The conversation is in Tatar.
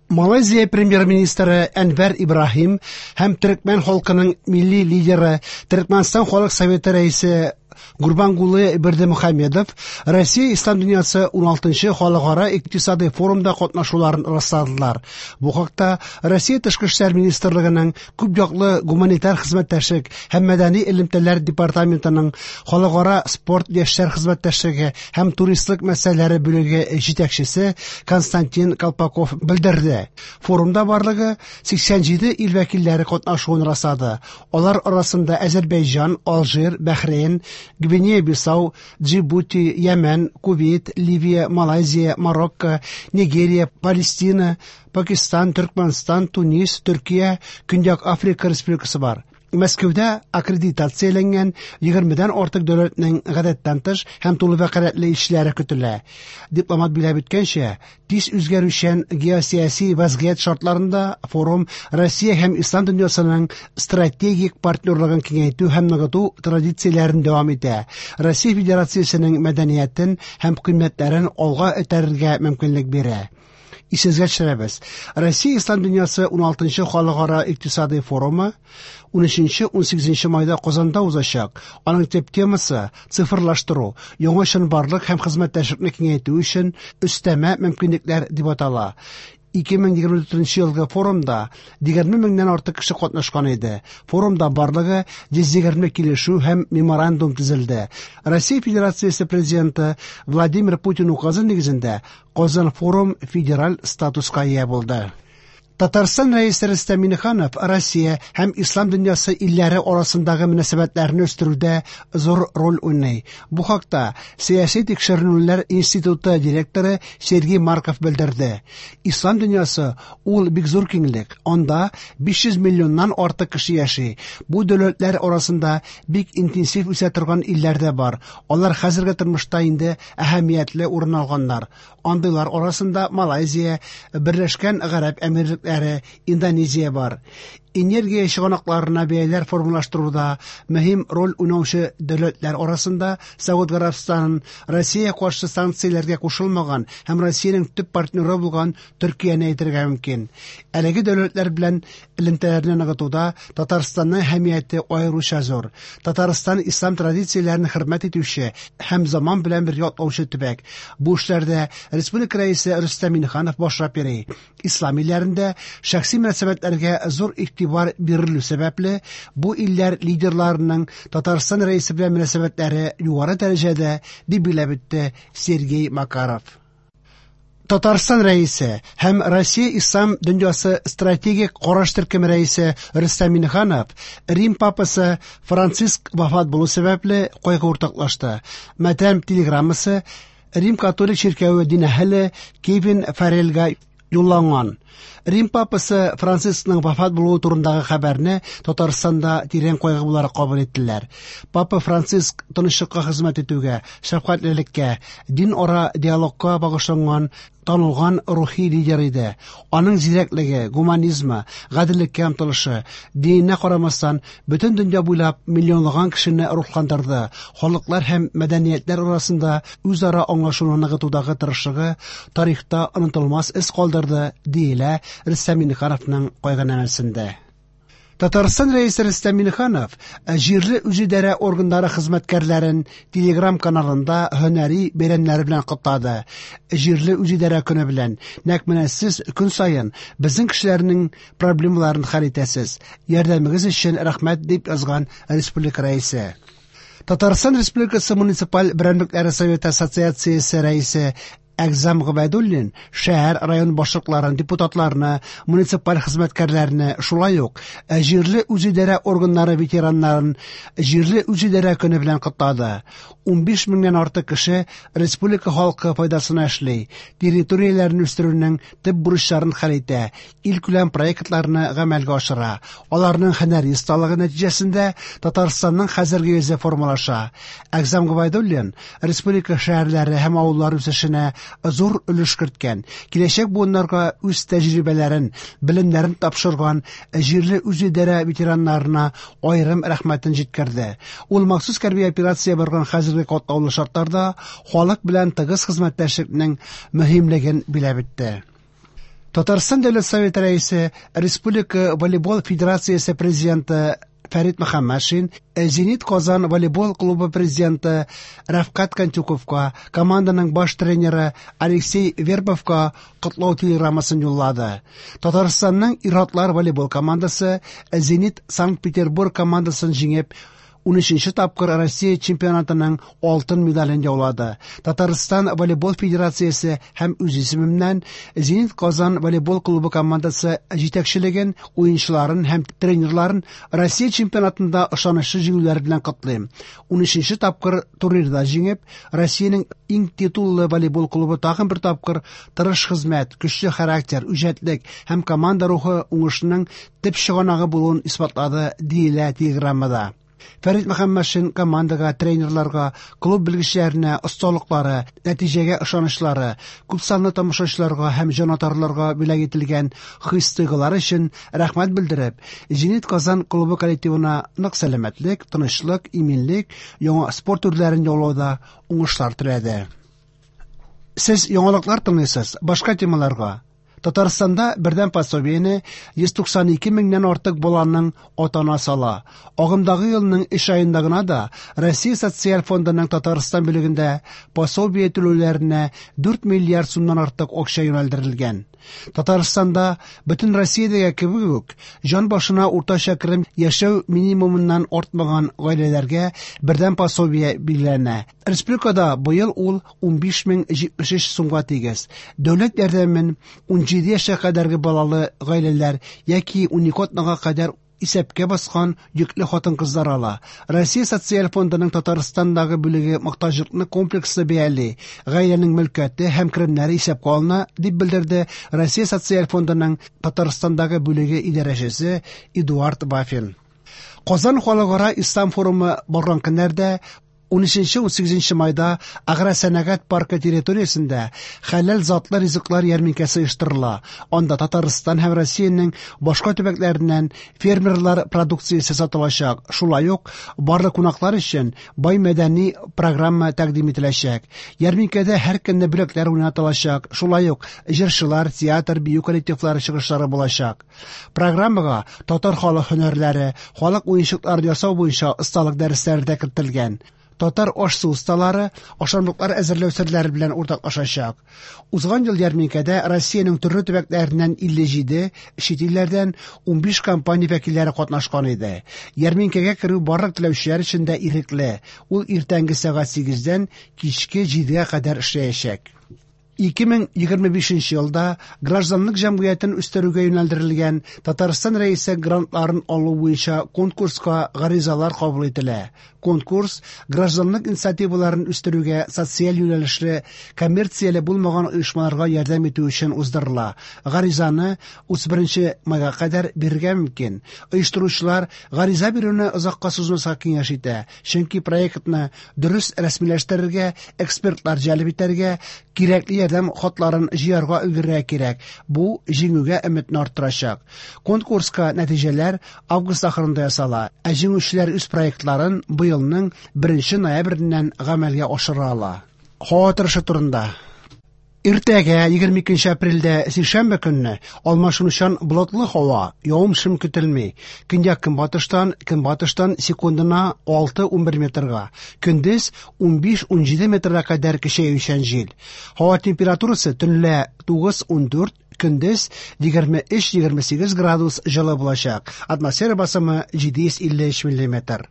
Малайзия премьер-министры Әнвәр Ибраһим һәм төрекмән халкының милли лидеры, Төрекмәнстан халык советы рәисе Гурбангулы Бердымухамедов Россия Ислам дөньясы 16нчы халыкара икътисадый форумда катнашуларын расладылар. Бу хакта Россия Тышкы эшләр министрлыгының күп яклы гуманитар хезмәттәшлек һәм мәдәни элемтәләр департаментының халыкара спорт яшьләр хезмәттәшлеге һәм туристлык мәсьәләләре бүлеге җитәкчесе Константин Колпаков белдерде. Форумда барлыгы 87 ил вәкилләре катнашуын раслады. Алар арасында Әзербәйҗан, Алжир, Бәхрейн, Гвинея-Бисау, Джибути, Йәмән, Кувейт, Ливия, Малайзия, Марокко, Нигерия, Палестина, Пакистан, Төркмәнстан, Тунис, Төркия, Көньяк Африка Республикасы бар. Мәскәүдә аккредитацияләнгән 20дән артык дәүләтнең гадәттән тыш һәм тулы вәкаләтле илчеләре көтелә. Дипломат билгеләп үткәнчә, тиз үзгәрүчән геосәяси вазгыять шартларында форум Россия һәм ислам дөньясының стратегик партнерлыгын киңәйтү һәм ныгыту традицияләрен дәвам итә. Россия Федерациясенең мәдәниятен һәм кыйммәтләрен алга этәрергә мөмкинлек бирә. Исегезгә төшерәбез. Россия Ислам дөньясы 16нчы халыкара икътисадый форумы 13-18 майда Казанда узачак. Аның төп темасы цифрлаштыру, яңа чынбарлык һәм хезмәттәшлекне киңәйтү өчен өстәмә мөмкинлекләр дип атала. 2024 елгы форумда 20 меңнән артык кеше катнашкан иде. Форумда барлыгы 120 килешү һәм меморандум төзелде. Россия Федерациясе президенты Владимир Путин указы нигезендә Казан форум федераль статуска ия булды. Татарстан Рәисе Рөстәм Миңнеханов Россия һәм ислам дөньясы илләре арасындагы мөнәсәбәтләрне үстерүдә зур роль уйный. Бу хакта Сәяси тикшеренүләр институты директоры Сергей Марков белдерде. Ислам дөньясы ул бик зур киңлек. Анда 500 миллионнан артык кеше яши. Бу дәүләтләр арасында бик интенсив үсә торган илләр дә бар. Алар хәзерге тормышта инде әһәмиятле урын алганнар. Андыйлар арасында Малайзия, Берләшкән Гарәп Әмирлекләре, Индонезия бар. Энергия чыганакларына бәяләр формалаштыруда мөһим роль уйнаучы дәүләтләр арасында Сауд Гарәбстанын, Россия каршы санкцияләргә кушылмаган һәм Россиянең төп партнеры булган Төркияне әйтергә мөмкин. Әлеге дәүләтләр белән элемтәләрне ныгытуда Татарстанның әһәмияте аеруча зур. Татарстан ислам традицияләрен хөрмәт итүче һәм заман белән бергә атлаучы төбәк. Бу эшләрдә республика рәисе Рөстәм Миңнеханов башлап йөри. Ислам илләрендә шәхси мөнәсәбәтләргә зур игътибар бирелү сәбәпле, бу илләр лидерларының Татарстан рәисе белән мөнәсәбәтләре югары дәрәҗәдә, дип билгеләп үтте Сергей Макаров. Татарстан рәисе һәм Россия Ислам дөньясы стратегик караш төркеме рәисе Рөстәм Миңнеханов Рим папасы Франциск вафат булу сәбәпле кайгы уртаклашты. Матәм телеграммасы Рим католик чиркәве дин әһеле Кевин Фаррелга юлланган. Рим папасы Францискның вафат булуы турындагы хәбәрне Татарстанда тирән кайгы буларак кабул иттеләр. Папа Франциск тынычлыкка хезмәт итүгә, шәфкатьлелеккә, дин ара диалогка багышланган танылган рухи лидер иде. Аның зирәклеге, гуманизмы, гаделлеккә омтылышы, диненә карамастан, бөтен дөнья буйлап миллионлаган кешене рухландырды. Халыклар һәм мәдәниятләр арасында үзара аңлашуны ныгытудагы тырышлыгы тарихта онытылмас эз калдырды, диелә Рөстәм Миңнехановның кайгынамәсендә. Татарстан Рәисе Рөстәм Миңнеханов җирле үзидарә органнары хезмәткәрләрен Телеграм каналында һөнәри бәйрәмнәре белән котлады. Җирле үзидарә көне белән. Нәкъ менә сез көн саен безнең кешеләрнең проблемаларын хәл итәсез. Ярдәмегез өчен рәхмәт, дип язган республика рәисе. Татарстан Республикасы муниципаль берәмлекләре советы ассоциациясе рәисе Әгъзам Гобәйдуллин шәһәр, район башлыкларын, депутатларны, муниципаль хезмәткәрләрне, шулай ук җирле үзидарә органнары ветераннарын җирле үзидарә көне белән котлады. 15 меңнән артык кеше республика халкы файдасына эшли, территорияләрне үстерүнең төп бурычларын хәл итә, илкүләм проектларны гамәлгә ашыра. Аларның һөнәри осталыгы нәтиҗәсендә Татарстанның хәзерге йөзе формалаша. Әгъзам Гобәйдуллин республика шәһәрләре һәм авыллары үсешенә зур өлеш керткән, киләчәк буыннарга үз тәҗрибәләрен, белемнәрен тапшырган җирле үзидарә ветераннарына аерым рәхмәтен җиткерде. Ул махсус хәрби операция барган хәзерге катлаулы шартларда халык белән тыгыз хезмәттәшлекнең мөһимлеген билгеләп үтте. Татарстан Дәүләт Советы Рәисе, Республика волейбол федерациясе президенты Фәрит Мөхәммәтшин, Зенит Казан волейбол клубы президенты Рәфкать Кантюковка, команданың баш тренеры Алексей Вербовка котлау телеграммасын юллады. Татарстанның ир-атлар волейбол командасы Зенит Санкт-Петербург командасын җиңеп, 13 тапкыр Россия чемпионатының алтын медален яулады. Татарстан волейбол федерациясе һәм үз исемемнән Зенит Казан волейбол клубы командасы җитәкчелеген, уенчыларын һәм тренерларын Россия чемпионатында ышанычлы җиңүләр белән котлыйм. 13 тапкыр турнирда җиңеп, Россиянең иң титуллы волейбол клубы тагын бер тапкыр тырыш хезмәт, көчле характер, үҗәтлек һәм команда рухы уңышының төп чыганагы булуын исбатлады, диелә телеграммада. Фәрит Мөхәммәтшин командага, тренерларга, клуб белгечләренә осталыклары, нәтиҗәгә ышанычлары, күпсанлы тамашачыларга һәм җанатарларга бүләк ителгән хис-тойгылары өчен рәхмәт белдереп, Зенит Казан клубы коллективына нык сәламәтлек, тынычлык, иминлек, яңа спорт үрләрен яулауда уңышлар теләде. Сез яңалыклар тыңлыйсыз, башка темаларга. Татарстанда бердәм пособиене 192 меңнән артык баланың ата-анасы ала. Агымдагы елның 3 аенда гына да Россия социаль фондының Татарстан бүлегендә пособие түләүләренә 4 миллиард сумнан артык акча юнәлдерелгән. Татарстанда бөтен Россиядәге кебек үк җан башына уртача керем яшәү минимумыннан артмаган гаиләләргә бердәм пособие билгеләнә. Республикада быел ул 15073 сумга тигез. Дәүләт ярдәмен 17 яшькә кадәрге балалы гаиләләр яки 12 атнага кадәр исәпкә баскан йөкле хатын-кызлар ала. Россия социаль фондының Татарстандагы бүлеге мохтаҗлыкны комплекслы бәяли, гаиләнең мөлкәте һәм керемнәре исәпкә алына, дип белдерде Россия социаль фондының Татарстандагы бүлеге идарәчесе Эдуард Вафин. Казан халыкара ислам форумы барган көннәрдә 13-18 майда агросәнәгать паркы территориясендә хәләл затлы ризыклар ярминкәсе оештырыла. Анда Татарстан һәм Россиянең башка төбәкләреннән фермерлар продукциясе сатылачак. Шулай ук барлык кунаклар өчен бай мәдәни программа тәкъдим ителәчәк. Ярминкәдә һәр көнне бүләкләр уйнатылачак. Шулай ук җырчылар, театр, бию коллективлары чыгышлары булачак. Программага татар халык һөнәрләре, халык уенчыклары ясау буенча осталык дәресләре дә кертелгән. Татар аш-су осталары ашамлыклар әзерләү серләре белән уртаклашачак. Узган ел ярминкәдә Россиянең төрле төбәкләреннән 57, чит илләрдән 15 компания вәкилләре катнашкан иде. Ярминкәгә керү барлык теләүчеләр өчен дә ирекле. Ул иртәнге сәгать 8-дән кичке 7-гә кадәр эшләячәк. 2025 елда гражданлык җәмгыятен үстерүгә юнәлдерелгән Татарстан Рәисе грантларын алу буенча конкурска гаризалар кабул ителә. Конкурс гражданлык инициативаларын үстерүгә социаль юнәлешле коммерцияле булмаган оешмаларга ярдәм итү өчен уздырыла. Гаризаны 31 майга кадәр бирергә мөмкин. Оештыручылар гариза бирүне озакка сузмаска киңәш итә, чөнки проектны дөрес рәсмиләштерергә, экспертлар җәлеп итәргә, кирәкле ярдәм хатларын җыярга өлгерергә кирәк. Бу җиңүгә өметне арттырачак. Конкурска нәтиҗәләр август ахырында ясала, ә җиңүчеләр үз проектларын быелның 1 ноябреннән гамәлгә ашыра ала. Һава торышы турында. Иртәгә 22 апрельдә сишәмбе көнне алмашынучан болытлы һава, явым-шым көтелми. Көньяк көнбатыштан, көнбатыштан секундына 6-11 метрга, көндез 15-17 метрга кадәр көчәючән җил. Һава температурасы төнлә 9-14, көндез 23-28 градус җылы булачак. Атмосфера басымы 753 миллиметр.